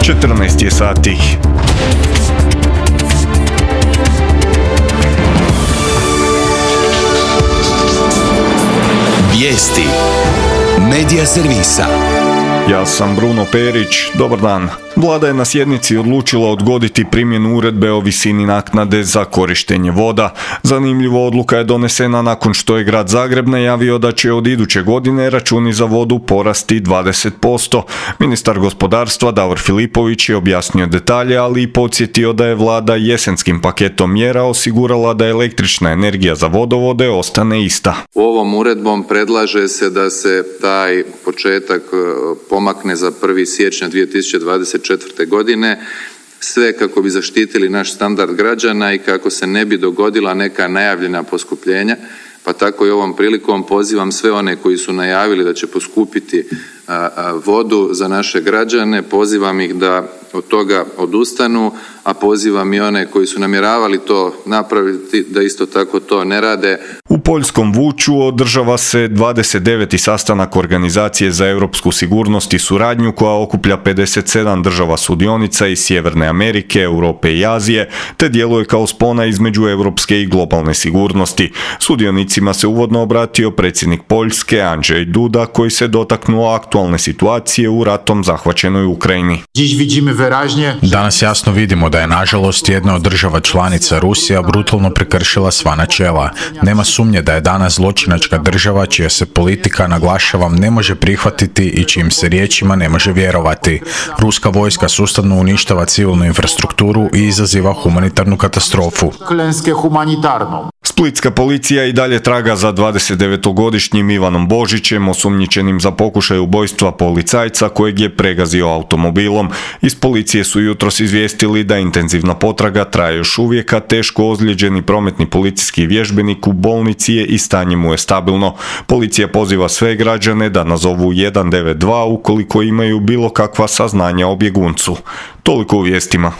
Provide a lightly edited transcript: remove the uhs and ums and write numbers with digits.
14 je sati. Vijesti Medija servisa. Ja sam Bruno Perić, dobar dan. Vlada je na sjednici odlučila odgoditi primjenu uredbe o visini naknade za korištenje voda. Zanimljivo, odluka je donesena nakon što je grad Zagreb najavio da će od iduće godine računi za vodu porasti 20%. Ministar gospodarstva Davor Filipović je objasnio detalje, ali i podsjetio da je vlada jesenskim paketom mjera osigurala da električna energija za vodovode ostane ista. Ovom uredbom predlaže se da se taj početak pomakne za 1. siječnja 2024. godine, sve kako bi zaštitili naš standard građana i kako se ne bi dogodila neka najavljena poskupljenja, pa tako i ovom prilikom pozivam sve one koji su najavili da će poskupiti vodu za naše građane, pozivam ih da od toga odustanu, a pozivam i one koji su namjeravali to napraviti da isto tako to ne rade. U poljskom Vuču održava se 29. sastanak Organizacije za europsku sigurnost i suradnju koja okuplja 57 država sudionica iz Sjeverne Amerike, Europe i Azije, te djeluje kao spona između europske i globalne sigurnosti. Sudionicima se uvodno obratio predsjednik Poljske Andrzej Duda, koji se dotaknuo aktualne situacije u ratom zahvaćenoj Ukrajini. Danas jasno vidimo da je nažalost jedna od država članica, Rusija, brutalno prekršila sva načela. Nema sumnje da je danas zločinačka država čija se politika, naglašavam, ne može prihvatiti i čijim se riječima ne može vjerovati. Ruska vojska sustavno uništava civilnu infrastrukturu i izaziva humanitarnu katastrofu. Splitska policija i dalje traga za 29-godišnjim Ivanom Božićem, osumnjičenim za pokušaj ubojstva policajca kojeg je pregazio automobilom. Iz policije su jutros izvijestili da intenzivna potraga traje još uvijek, a teško ozlijeđeni prometni policijski vježbenik u bolnici je i stanje mu je stabilno. Policija poziva sve građane da nazovu 192 ukoliko imaju bilo kakva saznanja o bjeguncu. Toliko u vijestima.